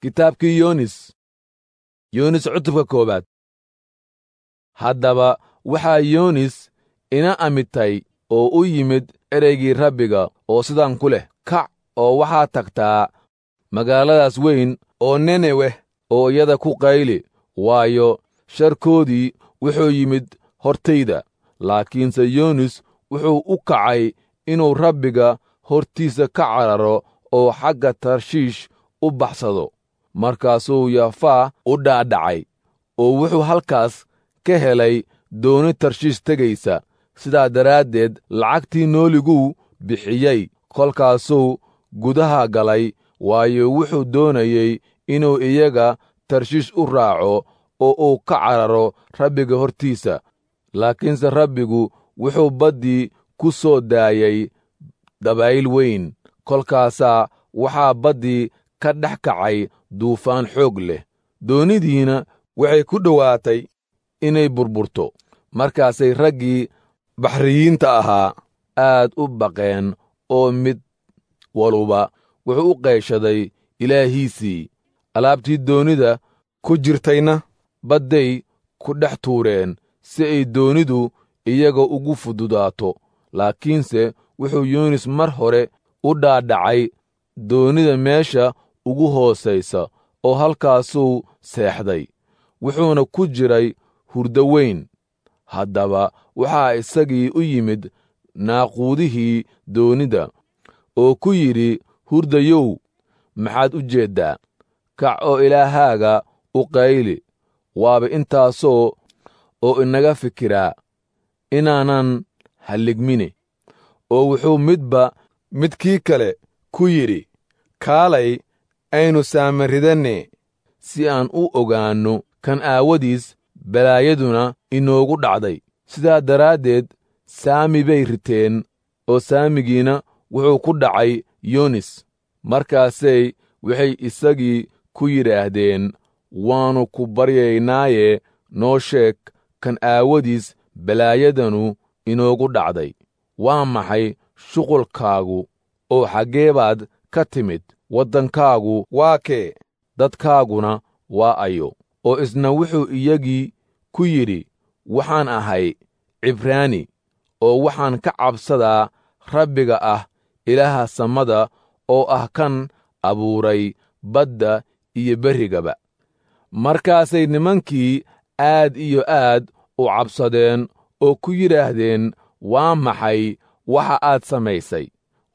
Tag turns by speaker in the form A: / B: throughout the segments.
A: Kitaabkii Yoonis. Yoonis cutubka koowaad. Haddaba waxaa Yoonis ina amitay oo u yimid ereygii Rabbiga oo sidan ku leh: Kac oo waxaad tagtaa magaaladaas weyn oo Nineweh oo iyada ku qayli, waayo, sharkoodii wuxuu yimid hortayda. Laakiinse Yoonis wuxuu u kacay inuu Rabbiga hortiisa ka cararo oo xagga Tarshiish u baxsado. Markaasuu Yafaa u dhaadhacay oo wuxuu halkaas ka helay dooni Tarshiish tegaysa. Sidaa daraaddeed lacagtii nooliguu bixiyey, kolkaasuu gudaha galay, waayo, wuxuu doonayey inuu iyaga Tarshiish u raaco oo uu ka cararo Rabbiga hortiisa. Laakiinse Rabbigu wuxuu baddii ku soo daayey dabayl weyn, kolkaasaa waxaa baddii ka dhex kacay duufaan xoog leh. Doonidiina waxay ku dhowaatay inay burburto. Markaasay raggii baxriyiinta ahaa aad u baqeen oo mid waluba wuxuu u qayshaday ilaahiisii. Alaabtii doonida ku jirtayna badday ku dhex tuureen si ay doonidu iyaga ugu fududaato. Laakiinse wuxuu Yoonis mar hore u dhaadhacay doonida meesha ugu hoosaysa oo halkaasuu seexday, wuxuuna ku jiray hurdo weyn. Haddaba waxaa isagii u yimid naaquudihii doonida oo ku yidhi, Hurdayow, maxaad u jeeddaa? Kac oo ilaahaaga u qayli, waaba intaasoo oo inaga fikiraa inaanan halligmine. Oo wuxuu midba midkii kale ku yidhi, Kaalay, aynu saamaridanne, si aan u ogaanno kan aawadiis balaayaduna inoogu dhacday. Sidaa daraaddeed saami bay riteen, oo saamigiina wuxuu ku dhacay Yoonis. Markaasay waxay isagii ku yidhaahdeen, Waannu ku baryaynaaye, noo sheeg kan aawadiis balaayadanu inoogu dhacday. Waa maxay shuqulkaagu, oo xaggee baad ka timid? Waddankaagu waa kee? Dadkaaguna waa ayo? Oo isna wuxuu iyagii ku yidhi, Waxaan ahay Cibraani, oo waxaan ka cabsadaa Rabbiga ah Ilaaha samada, oo ah kan abuuray badda iyo berrigaba. Markaasay nimankii aad iyo aad u cabsadeen oo ku yidhaahdeen, Waa maxay waxa aad samaysay?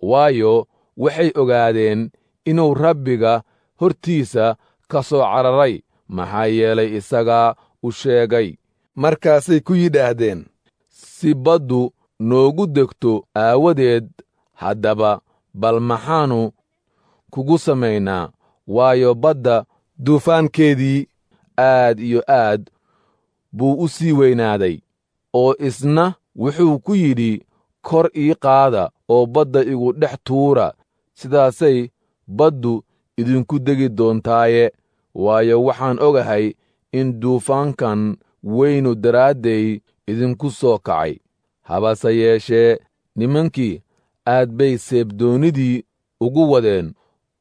A: Waayo, waxay ogaadeen inuu Rabbiga hortiisa ka soo cararay, maxaa yeelay, isagaa u sheegay.
B: Markaasay ku yidhaahdeen,
A: Si baddu noogu degto aawadeed, haddaba bal maxaannu kugu samaynaa? Waayo, badda
B: duufaankeedii
A: aad iyo aad buu u sii weynaaday. Oo isna wuxuu ku yidhi, Kor ii qaada oo badda igu dhex tuura, sidaasay baddu idinku degi doontaaye. Waayo, waxaan ogahay in duufaankan weynu daraadday idinku soo kacay. Habase yeeshee nimankii aad bay seebdoonnidii ugu wadeen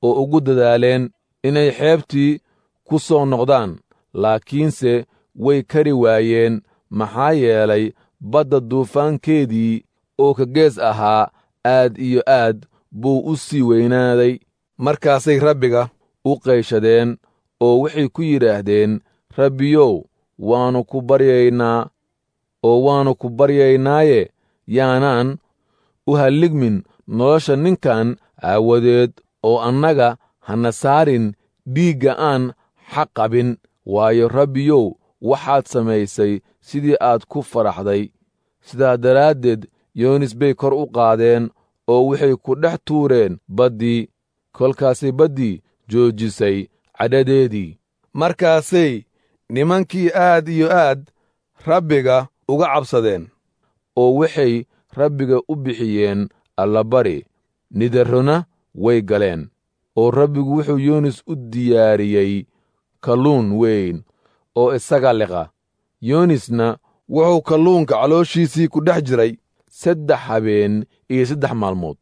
A: oo ugu dadaaleen inay xeebtii ku soo noqdaan, laakiinse way kari waayeen, maxaa yeelay, badda duufaankeedii oo ka gees ahaa aad iyo aad buu u sii weynaaday.
B: Markaasay Rabbiga
A: u qayshadeen oo waxay ku yidhaahdeen, Rabbiyow, waannu ku baryaynaa oo waannu ku baryaynaaye, yaanaan u halligmin nolosha ninkan aawadeed, oo annaga hana saarin dhiigga aan xaq qabin. Waayo, Rabbiyow, waxaad samaysay sidii aad ku faraxday. Sidaa daraaddeed Yoonis bay kor u qaadeen oo waxay ku dhex tuureen baddii. Kolkaasay baddii joojisay cadhadeedii.
B: Markaasay nimankii aad iyo aad Rabbiga uga cabsadeen,
A: oo waxay Rabbiga u bixiyeen allabari, nidarrona way galeen. Oo Rabbigu wuxuu Yoonis u diyaariyey kalluun weyn oo isaga liqa. Yoonisna
B: wuxuu kalluunka calooshiisii ku dhex jiray
A: 3 habeen iyo 3 maalmood.